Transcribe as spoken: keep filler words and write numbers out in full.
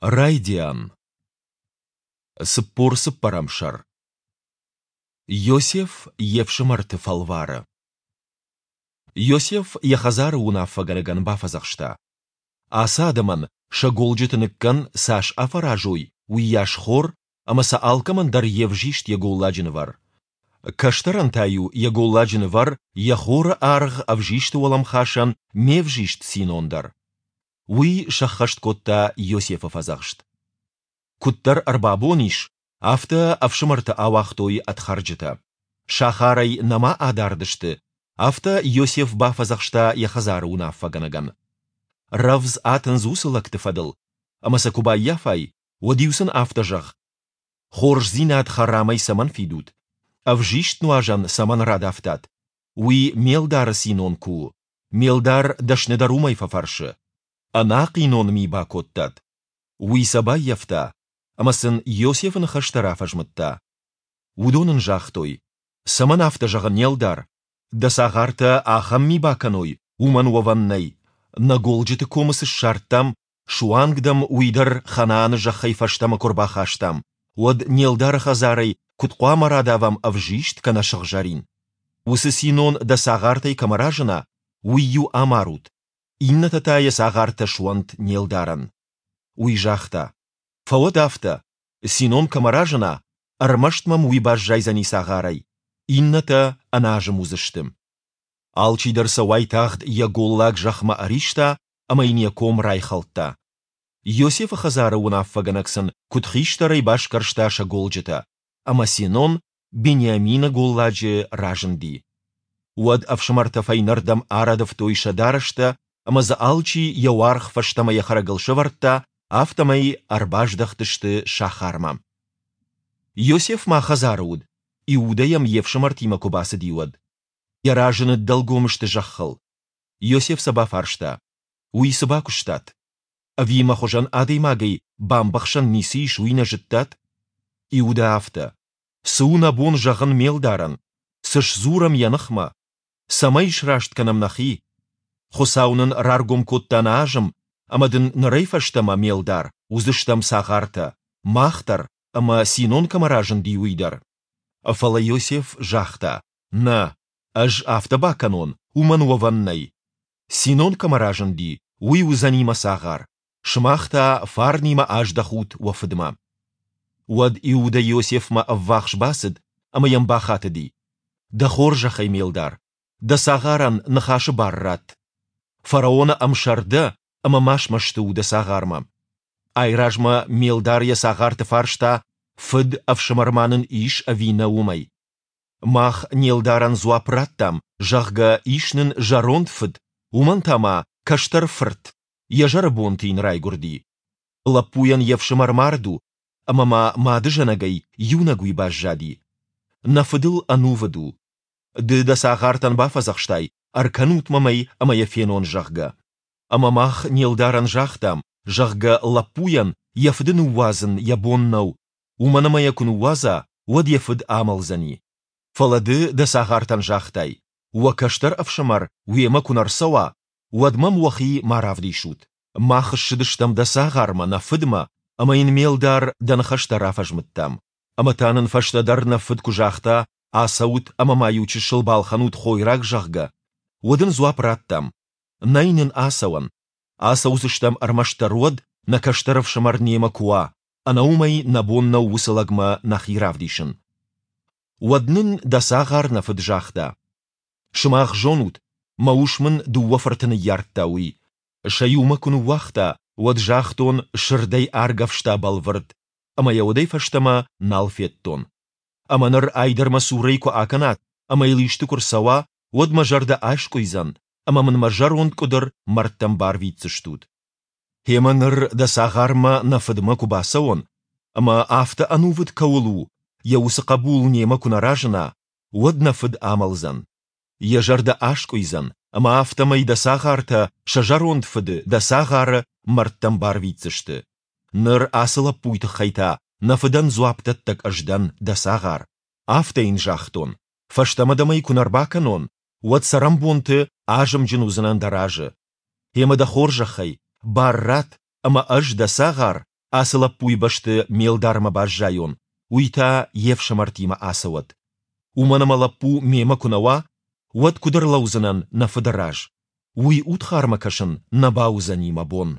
Райдиан. Цыппор цыппӕрӕм сӕр. Иосиф йе фсымӕрты фӕлвары. Иосиф йӕ хӕдзары уынаффӕгӕнӕгӕн бафӕдзӕхста: Ацы адӕмӕн сӕ голджыты ныккӕн, цас афӕразой, уыйас хор, ӕмӕ сӕ алкӕмӕн дӕр йе взист йӕ голладжы нывӕр. Кӕстӕрӕн та-иу йӕ голладжы нывӕр йӕ хоры аргъ ӕвзисты уӕлӕмхасӕн ме взист синон дӕр. Уый сӕххӕст кодта Иосифы фӕдзӕхст. Куыддӕр ӕрбабон ис, афтӕ ӕфсымӕрты ауагътой ӕд хӕрджытӕ. Сахарӕй нӕма адард сты, афтӕ Иосиф бафӕдзӕхста йӕ хӕдзары уынаффӕгӕнӕгӕн: Рӕвдз атындз уыцы лӕгты фӕдыл, ӕмӕ сӕ куы баййафай, уӕд-иу сын афтӕ зӕгъ: Хорздзинад хӕрамӕй цӕмӕн фидут? Ӕвзист нуазӕн цӕмӕн радавтат? Уый ме лдары синон куы у. Ме лдар дӕсныдӕр уымӕй фӕфӕрсы. Ӕнахъинон ми бакодтат. Уый сӕ баййӕфта, ӕмӕ сын Иосифы ныхӕстӕ рафӕзмыдта. Уыдон ын загътой: Цӕмӕн афтӕ зӕгъы не лдар? Дӕ цагъартӕ ахӕм ми бакӕной, уымӕн уӕвӕн нӕй. Нӕ голджыты комы цы ссардтам, суанг дӕм уый дӕр Ханааны зӕххӕй фӕстӕмӕ куы рбахастам, уӕд не лдары хӕдзарӕй куыд хъуамӕ радавӕм ӕвзист кӕнӕ сыгъзӕрин? Уыцы синон дӕ цагъартӕй кӕмӕ разына, уый-иу амарут, иннӕтӕ та йӕ цагъартӕ суӕнт не лдарӕн. Уый загъта: Фӕуӕд афтӕ, синон кӕмӕ разына, ӕрмӕст мӕм уый баззайдзӕни цагъарӕй, иннӕтӕ ӕназым уыдзысты. Алчидӕр сӕ уайтагъд йӕ голлаг зӕхмӕ ӕриста ӕмӕ йын йӕ ком райхӕлдта. Иосифы хӕдзары уынаффӕгӕнӕг сын куыдхистӕрӕй басгӕрста сӕ голджытӕ, ӕмӕ синон Бениамины голладжы разынди. Уӕд ӕфсымӕртӕ фӕйнӕрдӕм арӕдывтой сӕ дарӕстӕ ӕмӕ дзы алчи йӕ уаргъ фӕстӕмӕ йӕ хӕрӕгыл сӕвӕрдта, афтӕмӕй ӕрбаздӕхтысты сахармӕ. Иосиф ма хӕдзары уыд, Иудӕ йӕм йе фсымӕртимӕ куы бацыди, уӕд. Йӕ разы ныддӕлгом сты зӕххыл. Иосиф сӕ бафарста: Уый цы бакуыстат? Ӕви мӕ хуызӕн адӕймагӕй бамбӕхсӕн ницы ис, уый нӕ зыдтат? Иудӕ афтӕ: Цы у нӕ бон зӕгъын ме лдарӕн? Цы сдзурӕм йӕ ныхмӕ? Цӕмӕй сраст кӕнӕм нӕхи? Хуыцау нын раргом кодта нӕ азым, ӕмӕ дын нырӕй фӕстӕмӕ, ме лдар, уыдзыстӕм цагъартӕ, мах дӕр ӕмӕ, синон кӕмӕ разынди, уый дӕр. Фӕлӕ Иосиф загъта: Нӕ, ӕз афтӕ бакӕнон, уымӕн уӕвӕн нӕй. Синон кӕмӕ разынди, уый уыдзӕни мӕ цагъар, сымах та фарнимӕ аздӕхут уӕ фыдмӕ. Уӕд Иудӕ Иосифмӕ ӕввахс бацыд ӕмӕ йӕм бахатыди: Дӕ хорзӕхӕй, ме лдар, дӕ цагъарӕн ныхасы бар ратт. Фараоны ӕмсӕр дӕ ӕмӕ ма смӕсты у дӕ цагъармӕ. Айразмӕ ме лдар йӕ цагъарты фарста, фыд, ӕфсымӕр ма нын ис ӕви нӕ, уымӕй. Мах не лдарӕн дзуапп радтам, зӕгъгӕ, ис нын зӕронд фыд, уымӕн та ма кӕстӕр фырт, йӕ зӕры бонты йын райгуырди. Лӕппуйӕн йе фсымӕр мард у, ӕмӕ ма мадызӕнӕгӕй иунӕг уый баззади. Нӕ фыдыл ӕнувыд у. Ды дӕ цагъартӕн бафӕдзӕхстай, ӕркӕнут мӕм ӕй ӕмӕ йӕ фенон, зӕгъгӕ. Ӕмӕ мах не лдарӕн загътам, зӕгъгӕ, лӕппуйӕн йӕ фыды ныууадзын йӕ бон нӕу, уымӕн ӕмӕ йӕ куы ныууадза, уӕд йӕ фыд амӕлдзӕни. Фӕлӕ ды дӕ цагъартӕн загътай, уӕ кӕстӕр ӕфсымӕр уемӕ куы нӕ рцӕуа, уӕд мӕм уӕхи ма равдисут. Мах ссыдыстӕм дӕ цагъармӕ, нӕ фыдмӕ, ӕмӕ йын, ме лдар, дӕ ныхӕстӕ рафӕзмыдтам. Ӕмӕ та нын фӕстӕдӕр нӕ фыд куы загъта, ацӕут ӕмӕ ма иу чысыл балхӕнут хойраг, зӕгъгӕ, уӕд ын дзуапп радтам, нӕй нын ацӕуӕн. Ацӕудзыстӕм ӕрмӕстдӕр уӕд, нӕ кӕстӕр ӕфсымӕр немӕ куы уа, ӕнӕ уымӕй нӕ бон нӕу уыцы лӕгмӕ нӕхи равдисын. Уӕд нын дӕ цагъар нӕ фыд загъта: Сымах зонут, мӕ ус мын дыууӕ фырты ныййардта, уый. Сӕ иу мӕ куы ныууагъта, уӕд загътон, сырдӕй аргӕвста бӕлвырд, ӕмӕ йӕ уӕдӕй фӕстӕмӕ нал федтон. Ӕмӕ ныр ай дӕр мӕ цурӕй куы акӕнат ӕмӕ йыл исты куы рцӕуа, уӕд мӕ зӕрдӕ аскъуыйдзӕн, ӕмӕ мын мӕ зӕронд къуыдыр мӕрдтӕм барвитдзыстут. Гъемӕ ныр дӕ цагъармӕ нӕ фыдмӕ куы бацӕуон, ӕмӕ афтӕ ӕнувыд кӕуыл у, йӕ уыцы хъӕбул немӕ куы нӕ разына, уӕд нӕ фыд амӕлдзӕн. Йӕ зӕрдӕ аскъуыйдзӕн, ӕмӕ афтӕмӕй дӕ цагъартӕ сӕ зӕронд фыды, дӕ цагъары, мӕрдтӕм барвитдзысты. Ныр ацы лӕппуйы тыххӕй та нӕ фыдӕн дзуапдӕттӕг ӕз дӕн, дӕ цагъар. Афтӕ йын загътон, фӕстӕмӕ дӕм ӕй куы нӕ рбакӕнон, уӕд цӕрӕнбонты азымджын уыдзынӕн дӕ разы. Гъемӕ дӕ хорзӕхӕй, бар ратт, ӕмӕ ӕз, дӕ цагъар, Ацы лӕппуйы бӕсты ме лдармӕ баззайон, уый та йе фсымӕртимӕ ацӕуӕд. Уымӕн ӕмӕ лӕппу мемӕ куы нӕ уа, уӕд куыд ӕрлӕудзынӕн нӕ фыды раз? Уый удхармӕ кӕсын нӕ бауыдзӕни мӕ бон.